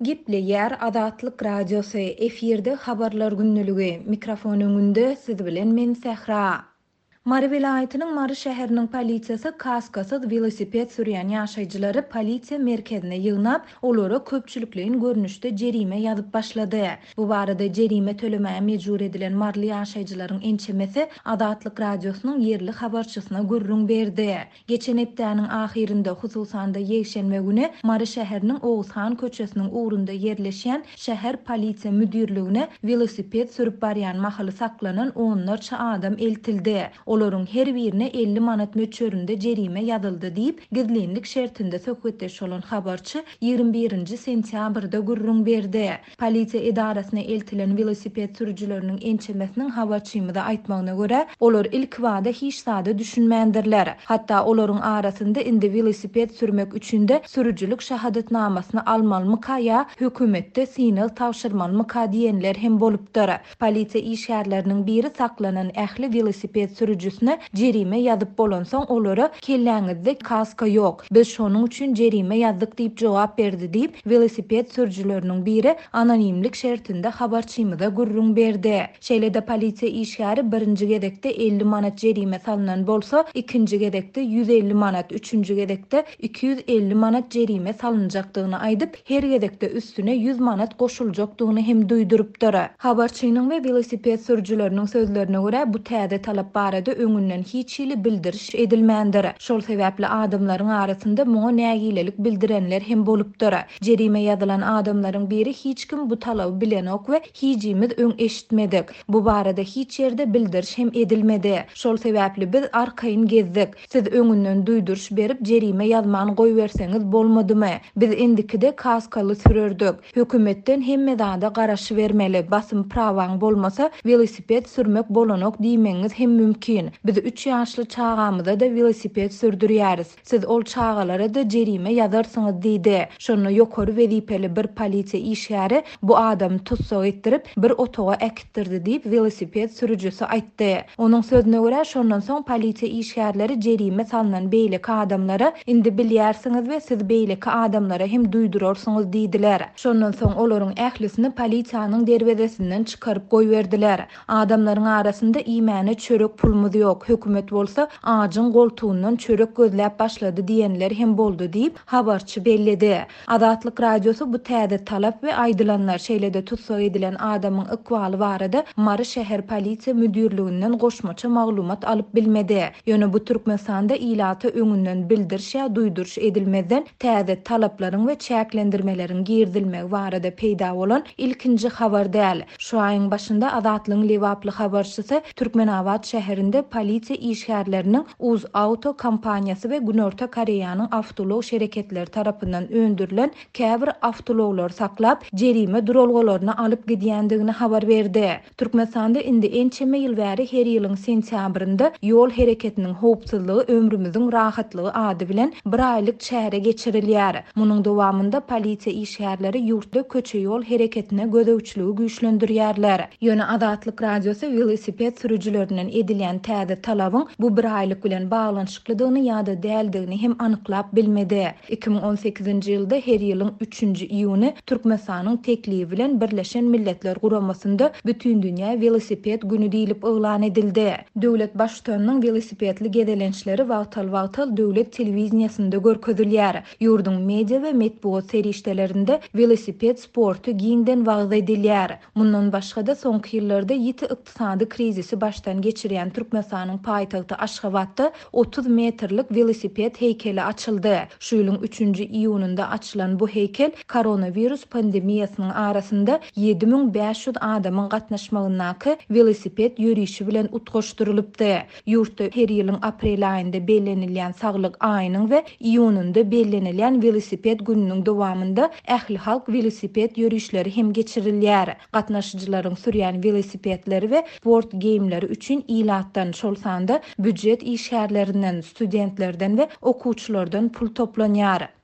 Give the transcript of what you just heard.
Gepleýär Azatlyk Radiosy, efirde Habarlar gündeligi, mikrofon öňünde siz bilen men Sähra. Mary welaýatynyň Mary şäheriniň polisiýasy kaskasyz welosiped sürýän ýaşaýjylary polisiýa merkezine ýygnap, olara köpçülikleýin görnüşde jerime ýazyp başlady. Bu barada jerime tölemäge mejbur edilen maryly ýaşaýjylaryň ençemesi Azatlyk Radiosynyň ýerli habarçysyna gürrüň berdi. Geçen hepdäniň ahyrynda, hususan-da ýekşenbe güni Mary şäheriniň Oguzhan köçesiniň ugrunda ýerleşýän şäher polisiýa müdirligine welosiped sürüp barýan mahaly saklanan onlarça adam eltildi. Olaryň her birine 50 manat möçberinde jerime ýazyldy diýip, gizlinlik şertinde söhbetdeş bolan habarçy 21 nji sentýabrda gürrüň berdi. Polisiýa edarasyna eltilen welosiped sürüjileriniň ençemesiniň habarçymyza aýtmagyna görä, olar ilkibada hiç zada düşünmändirler. Hatda olaryň arasynda indi welosiped sürmek üçin-de sürüjilik şahadatnamasyny almalymyka ýa hökümetde synag tabşyrmalymyka diýenler hem bolupdyr. Polisiýa işgärleriniň biri saklanan ähli welosiped sürüjisine jerime ýazyp bolansoň olara kelläňizde kaska ýok, biz şonuň üçin jerime ýazdyk diýip jogap berdi diýip, welosiped sürüjileriniň biri anonimlik şertinde habarçymyza gürrüň berdi. Şeýle-de polisiýa işgäri birinji gezekde 50 manat jerime salnan bolsa, ikinji gezekde 150 manat, üçünji gezekde 250 manat jerime salynjakdygyny aýdyp, her gezekde üstüne 100 manat goşuljakdygyny hem duýdurypdyr. Habarçynyň we welosiped sürüjileriniň sözlerine görä, bu täze talap barada öňünden hiç hili bildiriş edilmändir. Şol sebäpli adamlaryň arasynda muňa nägilelik bildirenler hem bolupdyr. Jerime ýazylan adamlaryň biri hiç kim bu talaby bilenok we hijimiz öň eşitmedik. Bu barada hiç ýerde bildiriş hem edilmedi. Şol sebäpli biz arkaýyn gezdik. Siz öňünden duýduryş berip jerime ýazman goýberseňiz bolmadymy? Biz indikide kaskaly sürerdik. Hökümetden hemme zada garaşybermeli, basym prawaň bolmasa welosiped sürmek bolanok diýmegiňiz hem mümkin. Biz üç ýaşly çagamyza-da welosiped sürdürýäris. Siz ol çagalara-da jerime ýazarsyňyz diýdi. Şonda ýokary wezipeli bir polisiýa işgäri bu adamy tussag etdirip, bir otaga äkitdirdi diýip, welosiped sürüjisi aýtdy. Onuň sözüne görä, şondan soň polisiýa işgärleri jerime salnan beýleki adamlara, Indi bilýärsiňiz we siz beýleki adamlara hem duýdurarsyňyz diýdiler. Şondan soň olaryň ählisini polisiýanyň derwezesinden çykaryp goýberdiler. Adamlaryň arasynda iýmäne çörek pulumyz ýok, hökümet bolsa ajyň goltugyndan çörek gözläp başlady diýenler hem boldy diýip, habarçy belledi. Azatlyk Radiosy bu täze talap we aýdylanlar, şeýle-de tussag edilen adamyň ykbaly barada Mary şäher polisiýa müdirliginden goşmaça maglumat alyp bilmedi. Ýöne bu Türkmenistanda ilata öňünden bildiriş ýa duýduryş edilmezden täze talaplaryň we çäklendirmeleriň girizilmegi barada peýda bolan ilkinji habar däl. Şu aýyň başynda Azatlygyň lebaply habarçysy Türkmenabat şäherinde polisiýa işgärleriniň UzAuto kompaniýasy we Günorta Koreýanyň awtoulag şereketleri tarapyndan öndürilen käbir awtoulaglary saklap, jerime duralgalaryna alyp gidýändigini habar berdi. Türkmenistanda indi ençeme ýyl bäri her ýylyň sentýabrynda Ýol hereketiniň howpsuzlygy ömrümiziň rahatlygy ady bilen bir aýlyk çäre geçirilýär. Munuň dowamynda polisiýa işgärleri ýurtda köçe-ýol hereketine gözegçiligi güýçlendirýärler. Ýöne Azatlyk Radiosy welosiped sürüjilerinden edilýän täze talabyň bu bir aýlyk bilen baglanyşyklydygyny ýa-da däldigini hem anyklap bilmedi. 2018-nji ýylda her ýylyň üçünji iýuny Türkmenistanyň teklibi bilen Birleşen Milletler Guramasynda Bütindünýä welosiped güni diýlip yglan edildi. Döwlet Baştutanynyň welosipedli gezelençleri wagtal-wagtal döwlet telewideniýesinde görkezilýär. Ýurduň media we metbugat serişdelerinde welosiped sporty giňden wagyz edilýär. Mundan başga-da, soňky ýyllarda ýiti ykdysady krizisi başdan geçirýän Türkmenistanyň paýtagty Aşgabatda 30 metrlik welosiped heýkeli açyldy. Şu ýylyň üçünji iýunynda açylan bu heýkel koronawirus pandemiýasynyň arasynda 7500 adamyň gatnaşmagyndaky welosiped ýörişi bilen utgaşdyrylypdy. Ýurtda her ýylyň aprel aýynda bellenilýän Saglyk aýynyň we iýunynda bellenilýän Welosiped gününiň dowamynda ählihalk welosiped ýörişleri hem geçirilýär. Gatnaşyjylaryň sürýän welosipedleri we sport geýimleri üçin ilatdan, şol sanda býujet işgärlerinden, studentlerden we okuwçylardan pul toplanýar.